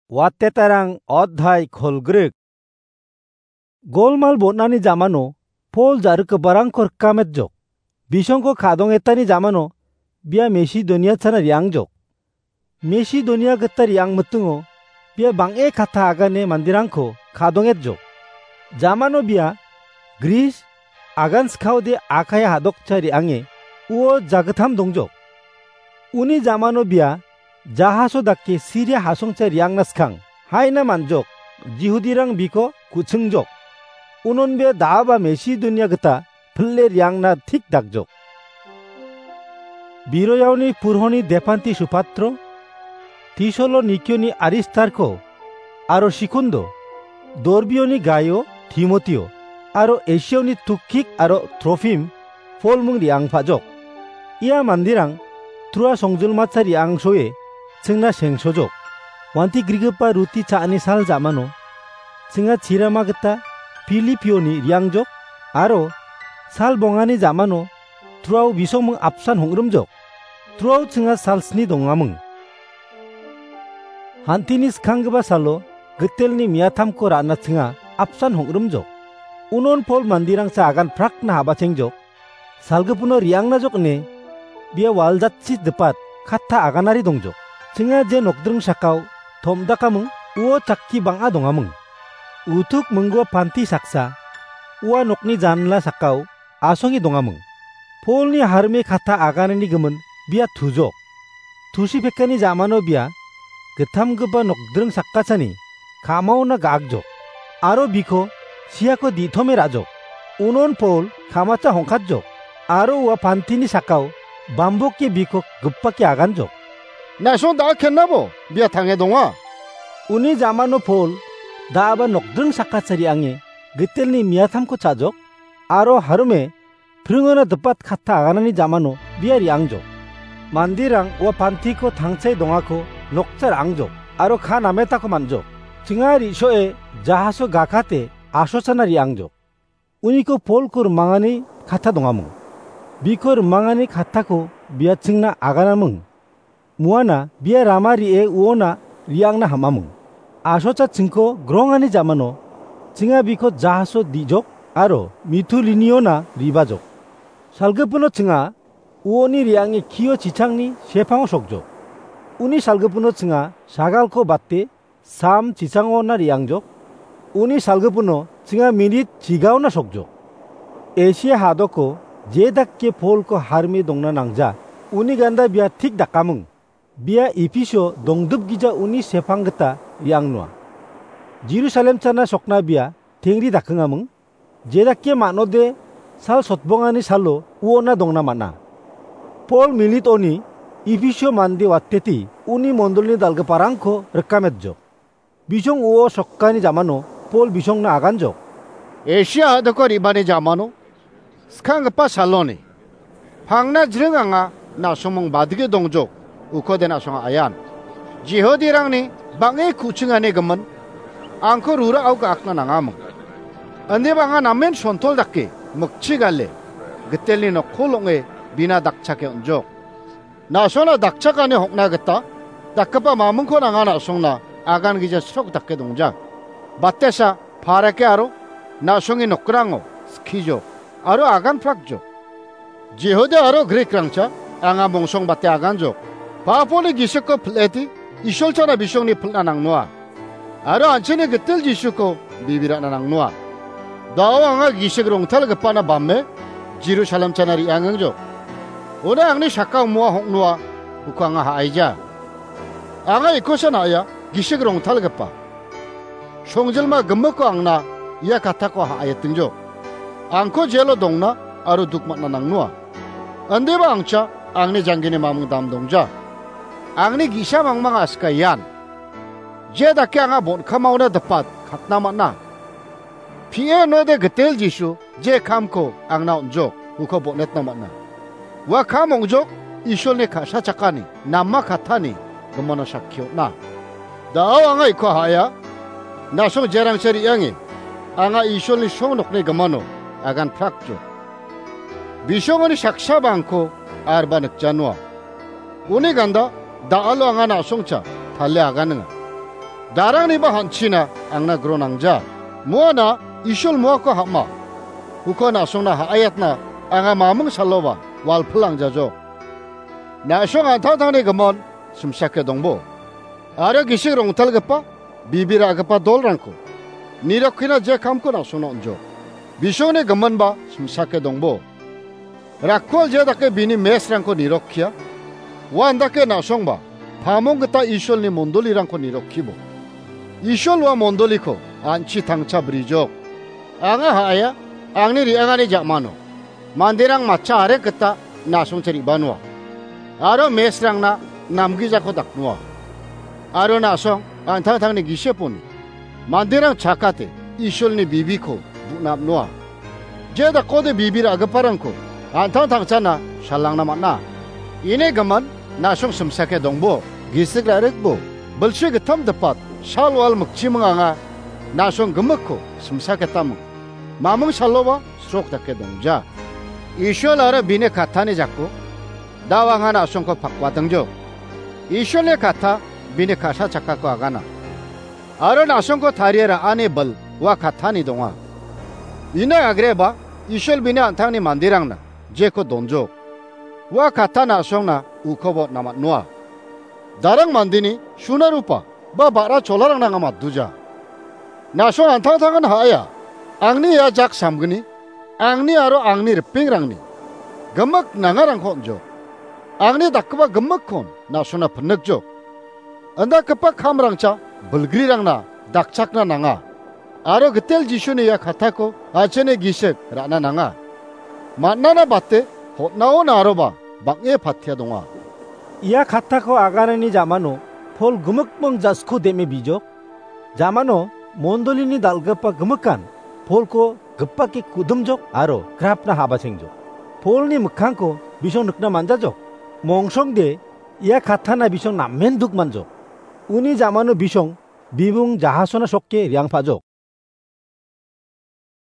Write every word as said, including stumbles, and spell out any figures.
Watetarang odhai kolgrik. Golmal bon·ani jamano Pol ja·rikgiparangko rikametjok. Bisongko ka·dongetani jamano bia Mesidonia chana re·angjok. Mesidonia gita re·angmitingo bia bang·e katta agane manderangko ka·dongetjok. Jamano bia Gris, agan skaode Akaia ha·dokcha re·ange uo jagittam dongjok. Uni jamano bia jahaso dake Siria ha·songcha re·angna skang, haina man·jok, Jihudirang biko ku·chingjok. Unon bia da·aba Mesidonia gita pil·e re·angna tik dakjok. Biroyaoni purhoni Depanti Supatro, Tisolo Nikioni Aristarko, aro Sikundo, Dorbioni Gaio, Timotio, aro Esioni Tukik aro Trofim, Pol mung re·angpajok. Ia manderang Troa songjilmacha re·angsoe chingna sengsojok. Wanti grigipa ruti cha·ani sal jamano chinga chirama gita Pilipioni re·angjok, aro sal bongani jamano Troao bisongming apsan hong·rimjok. Troao chinga sal sni dongaming. Hantini skanggipa salo gitelni miatamko ra·na chinga apsan hong·rimjok. Unon Pol manderangsa agan prakna habachengjok. Salgipino re·angnajok ine bia waljatchi dipat katta aganari dongjok. Chinga je nokdring sakao tom·dakaming, uo chakki bang·a dongaming. Utuk minggua panti saksa ua nokni janla sakao asonge dongaming. Polni harme katta aganani gimin bia tujok. Tusi pekani jamano bia gittamgipa nokdring sakgachani ka·maona ga·akjok, aro biko siako di·tome ra·jok. Unon Pol kamacha hongkatjok, aro ua pantini sakao bamboke biko gipake aganjok. Na·song da·a kennabo bia tange donga. Uni jamano Pol da·aba nokdring sakgacha re·ange gitelni miatamko cha·jok, aro harome pringona dipat katta aganani jamano bia re·angjok. Manderang ua pantiko tangchae dongako nokcha ra·angjok, aro ka nametako man·jok. Chinga ri·soe jahaso gakate asochana re·angjok. Uniko Polko rimangani katta dongaming. Biko rimangani kattako bia chingna aganaming. Muana bia rama ri·e uona re·angna ham·aming. Asocha chingko grongani jamano chinga biko jahaso di·jok aro Mituliniona ribajok. Salgipino chinga uoni re·ange kio chichangni sepango sokjok. Uni salgipino chinga sagalko bate Sam chichangona re·angjok. Uni salgipino chinga minit chigaona sokjok. Esia hadoko je dake Polko harme dongna nangja, uni ganda bia tik dakaming. Bia Ephisio dongdipgija uni sepang gita re·angnoa. Jerusalem chana sokna bia tengri dakengaming. Jedake man·ode sal sotbongani salo uona dongna man·a. Pol minitoni Ephisio mande wateti uni mondolni dal·giparangko rikametjok. Bisong uo sokkani jamano Pol bisongna aganjok. Esia ha·doko re·bani jamano skanggipa saloni pangna jring anga na·somong badge dongjok, ukode na·songa ayan. Jihudirangni bang·e ku·chingani gimin angko rurao ga·akna nangaming. Indiba anga namen sontol dake mikchi gale gitelni nokko long·e bina dakchake on·jok. Na·songna dakchakani hokna gita dakgipa mamingko nanga na·songna agan gija srok dake dongja. Batesa parake aro na·songni nokrango skijok aro agan prakjok. Jihuda aro Grikrangcha anga mongsong bate aganjok. Paponi gisikko pil·eti Isolchana bisongni pil·na nangnoa. Aro an·chingni gitel Jisuko bibirana nangnoa. Da·o anga gisik rongtalgipana bamme Jerusalem chana re·angengjok. Uno angni sakao moa hong·noa uko anga ha·aija. Anga ikosan ha·ya gisik rongtalgipa. Songjilma gimikko angna ia katako ha·aietingjok. Angko jelo dongna aro duk man·na nangnoa. Indiba angcha angni janggini maming dam dongja. Angni gi·sa mangmang asika ian. Je dake anga bon·kamaona dipat katna man·a. Pie node gitel Jisu je kamko angna on·jok, uko bon·etna man·a. Ua kam ong·jok Isolni ka·sachakani, nama kattani gimano sakki on·a. Da·o anga iko ha·aia, na·song jerangcha re·ange, anga Isolni song nokni gimano agan prakjok. Bisongoni saksaba angko arba nikjanoa. Uni ganda da·alo anga na·songcha tale aganinga. Darangniba hanchina angna gronangja. Muana Ishol muako ham·a. Uko na·songna ha·aiatna anga maming saloba walpil angjajok. Na·song an·tangtangni gimin simsake dongbo. Aro gisik rongtalgipa, bibi ra·gipa dolrangko nirokkina je kamko na·songna on·jok. Bisongni giminba simsake dongbo. Rakkual je dake bini mesrangko nirokkia, uandake na·songba pamong gita Isolni mondolirangko nirokkibo. Isol ua mondoliko an·chi tangcha brijok. Anga ha·aia, angni re·angani ja·mano manderang matcha arek gita na·songchi re·banoa. Aro mesrangna namgijako daknoa. Aro na·song an·tangtangni giseponi manderang chakate Isolni bibiko bu·napnoa. Je dakode bibi ra·giparangko an·tangtangchana salangna man·a. Ine gimin na·song simsake dongbo, gisik ra·rikbo, bilsi gittam dipat, sal wal mikchiming anga na·song gimikko simsaketaming. Maming saloba srok dake dongja. Isol aro bini kattani jako da·o anga na·songko pakbatingjok. Isolni katta bini ka·sa chakkako agana. Aro na·songko tarie ra·ani bil ua kattani donga. Ina agreba Isol bini an·tangni manderangna jeko donjok. Ua katta na·songna ukobo namatnoa. Darang mandeni suna rupa ba ba·ra cholarangna anga matduja. Na·song an·tangtangan ha·aia, angni ia jak samgni, angni aro angni ripengrangni gimik nangarangko on·jok. Angni dakgipa gimikkon na·songna pinikjok. Indakgipa kamrangcha bilgrirangna dakchakna nanga. Aro gitel Jisuni ia kattako an·chingni gisik ra·na nanga. Man·ana bate hotnaona aroba bang·e patia donga. Ia kattako aganani jamano Pol gimikming jasko dem·e bijok. Jamano mondolini dal·gipa gimikan Polko gipake kudimjok aro grapna habachengjok. Polni mikkangko bisong nikna man·jajok. Mongsongde ia kattana bisong namen duk man·jok. Uni jamano bisong bibung jahasona sokke riangpajok.